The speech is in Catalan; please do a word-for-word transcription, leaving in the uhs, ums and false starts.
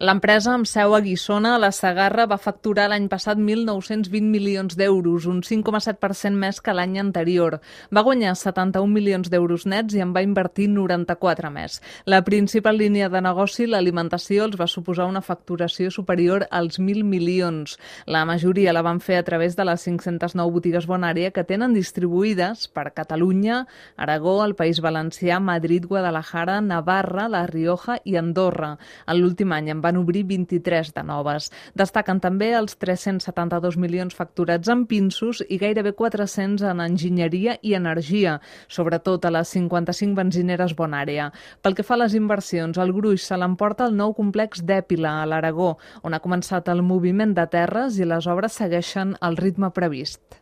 L'empresa amb seu a Guissona, a la Segarra, va facturar l'any passat mil nou-cents vint milions d'euros, un cinc coma set per cent més que l'any anterior. Va guanyar setanta-un milions d'euros nets i en va invertir noranta-quatre més. La principal línia de negoci, l'alimentació, els va suposar una facturació superior als mil milions. La majoria la van fer a través de les cinc-centes nou botigues Bonària que tenen distribuïdes per Catalunya, Aragó, el País Valencià, Madrid, Guadalajara, Navarra, La Rioja i Andorra. En l'últim any en van obrir vint-i-tres de noves. Destaquen també els tres-cents setanta-dos milions facturats en pinsos i gairebé quatre-cents en enginyeria i energia, sobretot a les cinquanta-cinc benzineres Bonària. Pel que fa a les inversions, el gruix se l'emporta el nou complex d'Èpila, a l'Aragó, on ha començat el moviment de terres i les obres segueixen el ritme previst.